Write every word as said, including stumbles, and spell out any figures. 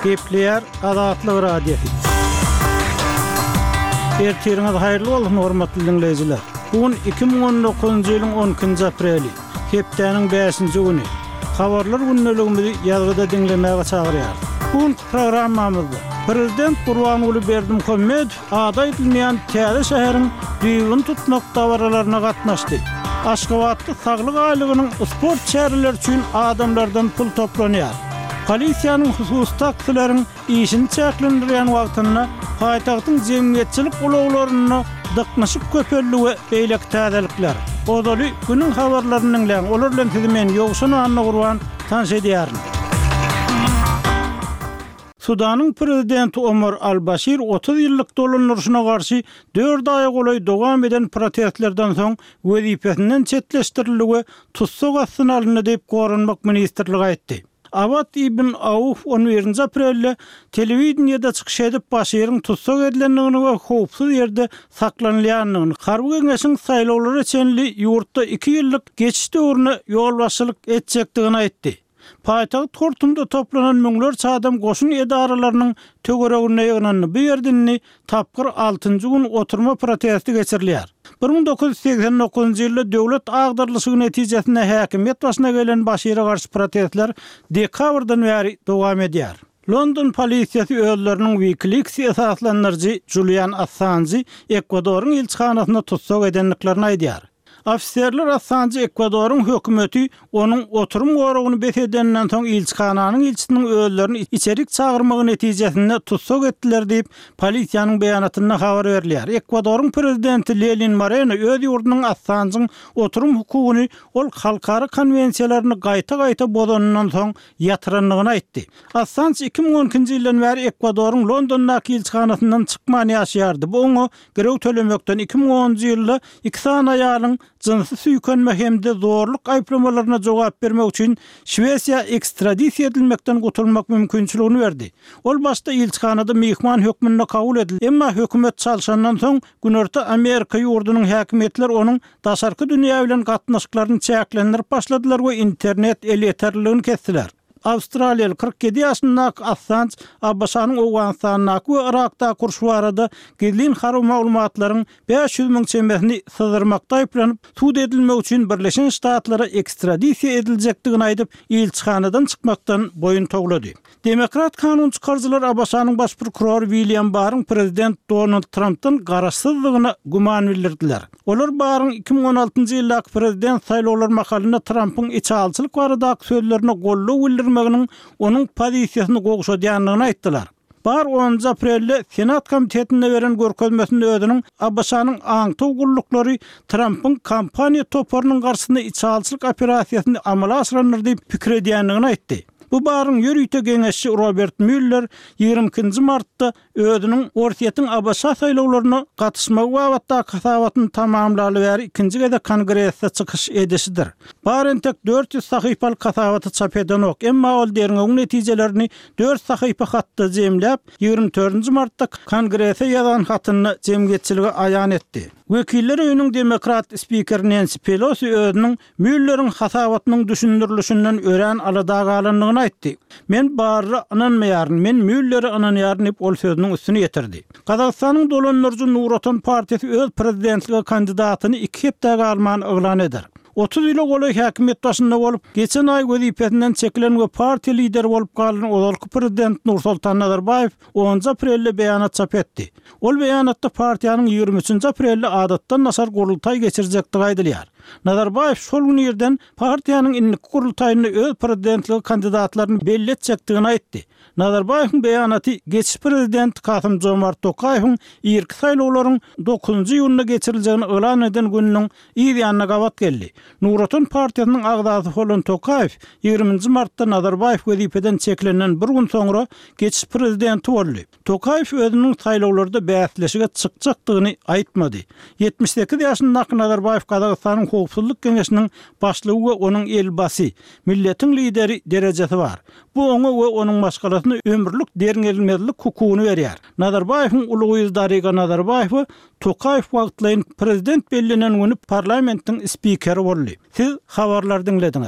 Gepleýär Azatlyk Radiosy. Ertiriňiz haýyrly bolsun, hormatly diňleýjiler. Bu gün iki müň on dokuzynjy ýylyň on ikinji apreli, hepdäniň bäşinji güni. Habarlar gündeligimizi ýazgyda diňlemäge çagyrýarys. Bu günki programmamyzda Prezident Gurbanguly Berdimuhamedow ady aýdylmaýan täze şäheriň düýbüni tutmak dabaralaryna gatnaşdy. Aşgabatda saglyk aýlygynyň sport çäreleri üçin adamlardan pul toplanýar. Polisiýanyň hususy taksileriň işini çäklendirýän wagtynda paýtagtyň jemgyýetçilik ulaglarynda dyknyşyk köpeldi we beýleki täzelikler. Ozaly günüň habarlaryny diňläň, olar bilen sizi men Ýowşan Annagurban tanyş edýärin. Sudanyň prezidenti Omar al-Başir otuz ýyllyk dolandyryşyna garşy dört aýa golaý dowam eden protestlerden soň wezipesinden çetleşdirildi we tussag astyna alyndy diýip Goranmak ministrligi aýtdy. Awad ibn Auf on birinji aprelde telewideniýede çykyş edip Başiriň tussag edilendigini we howpsuz ýerde saklanylýandygyny, harby geňeşiň saýlawlara çenli ýurtda iki ýyllyk geçiş döwrüne ýolbaşçylyk etjekdigini aýtdy. Paýtagt Hortumda toplanan müňlerçe adam goşun edaralarynyň töwereginde ýygnandy. Bu ýerde indi tapgyr altynjy gün oturma protesti geçirilýär. Bir müň dokuz ýüz segsen dokuzynjy ýylda döwlet agdarylyşygy netijesinde häkimiýet başyna gelen Başire garşy protestler dekabrdan bäri dowam edýär. London polisiýasy özleriniň WikiLeaks esaslandyryjy Julian Assanjy Ekwadoryň ilçihanasyna tussag edendiklerini aýdýar. Ofiserler Assanjy Ekwadoryň hökümeti onuň oturum goragyny bes edeninden soň ilçihananyň ilçisiniň özlerini içerik çagyrmagy netijesinde tussag etdiler diýip, polisiýanyň beýanatynda habar berilýär. Ekwadoryň prezidenti Lenin Moreno öz ýurdunyň Assanjyň oturum hukugyny ol halkara konwensiýalaryny gaýta-gaýta bozanyndan soň ýatyrandygyny aýtdy. Assanj iki müň on ikinji ýyldan bäri Ekwadoryň Londondaky ilçihanasyndan çykman ýaşaýardy. Bu oňa girew tölemekden iki müň onunjy ýylda iki sany aýalyň jynsy süýkenme hem-de zorluk aýyplamalaryna jogap bermek üçin Şwesiýa ekstradisiýa edilmekden gutulmak mümkinçiligini berdi. Ol başda ilçihanada myhman hökmünde kabul edildi, emma hökümet çalşandan soň Günorta Amerika ýurdunyň häkimiýetleri onuň daşarky dünýä bilen gatnaşyklaryny çäklendirip başladylar we internet elýeterliligini kesdiler. Awstraliýaly kyrk ýedi ýaşyndaky Assanj A B Ş-nyň Owganystandaky we Yrakdaky urşy barada gizlin harby maglumatlaryň bäş ýüz müň çemesini syzdyrmakda aýyplanyp, sud edilmek üçin Birleşen Ştatlara ekstradisiýa ediljekdigini aýdyp, ilçihanadan çykmakdan boýun towlady. Demokrat kanun çykaryjylar A B Ş-nyň baş prokurory William Barryň prezident Donald Trumpdan garaşsyzdygyna güman bildirdiler. Olar Barryň iki müň on altynjy ýyldaky prezident saýlawlar mahalynda Trumpyň içalyçylyk baradaky sözlerine goldaw bildirmeginiň onuň pozisiýasyny gowşadýandygyny aýtdylar. Barr onunjy aprelde Senat komitetinde beren görkezmesinde özüniň A B Ş-nyň aňtaw gulluklary Trumpyň kampaniýa toparynyň garşysynda içalyçylyk operasiýasyny amala aşyrandyr diýip pikir edýändigini aýtdy. Bu Barryň ýörite geňeşçi Robert Müller ýigrimi ikinji martda özüniň Orsýetiň A B Ş saýlawlaryna gatyşmagy babatdaky hasabatyny tamamlaly bäri ikinji gezek Kongresde çykyş edişidir. Barr entek dört ýüz sahypalyk hasabaty çap edenok, emma ol derňewiň netijelerini dört sahypa hatda jemläp, ýigrimi dördünji martda Kongrese ýazan hatynda jemgyýetçilige aýan etdi. Wekiller öýüniň demokrat spikeri Nancy Pelosi özüniň Mülleriň hasabatynyň düşündirilişinden örän alada galandygyny aýtdy. Men Barra ynanmaýaryn, men Müllere ynanýaryn diýip ol sözüniň üstüni ýetirdi. Gazagystanyň dolandyryjy Nur Otan partiýasy öz prezidentlige kandidatyny iki hepde galman yglan eder. Otuz ýyla golaý häkimiýet başynda bolup, geçen aý wezipesinden çekilen we partiýa lideri bolup galan ozalky prezident Nursultan Nazarbaýew onunjy aprelde beýanat çap etdi. Ol beýanatda partiýanyň ýigrimi üçünji aprelde adatdan daşary gurultaý geçirjekdigi aýdylýar. Nazarbaýew şol gün irden partiýanyň indiki gurultaýynda öz prezidentlige kandidatlaryny belli etjekdigini aýtdy. Nazarbaýewiň beýanaty geçiş prezident Kasym Jomart Tokaýewiň irki saýlawlaryň dokuzynjy iýunda geçiriljegini yglan eden gününiň yz ýanyna gabat geldi. Nur Otan partiýasynyň agzasy bolan Tokaýew ýigriminji martda Nazarbaýew wezipeden çekilenden bir gün soňra geçiş prezidenti boldy. Tokaýew özüniň saýlawlarda bäsleşige çykjakdygyny aýtmady. Ýetmiş sekiz ýaşyndaky Nazarbaýew Gazagystanyň Howpsuzlyk Geňeşiniň başlygy we onuň elbasy, milletiň lideri derejesi bar. Bu oňa we onuň maşgalasyna ömürlik derňelmezlik hukugyny berýär. Nazarbaýewiň uly gyzy Dariga Nazarbaýewa Tokaýew wagtlaýyn prezident bellenen güni parlamentiň spikeri boldy. Siz habarlary diňlediňiz.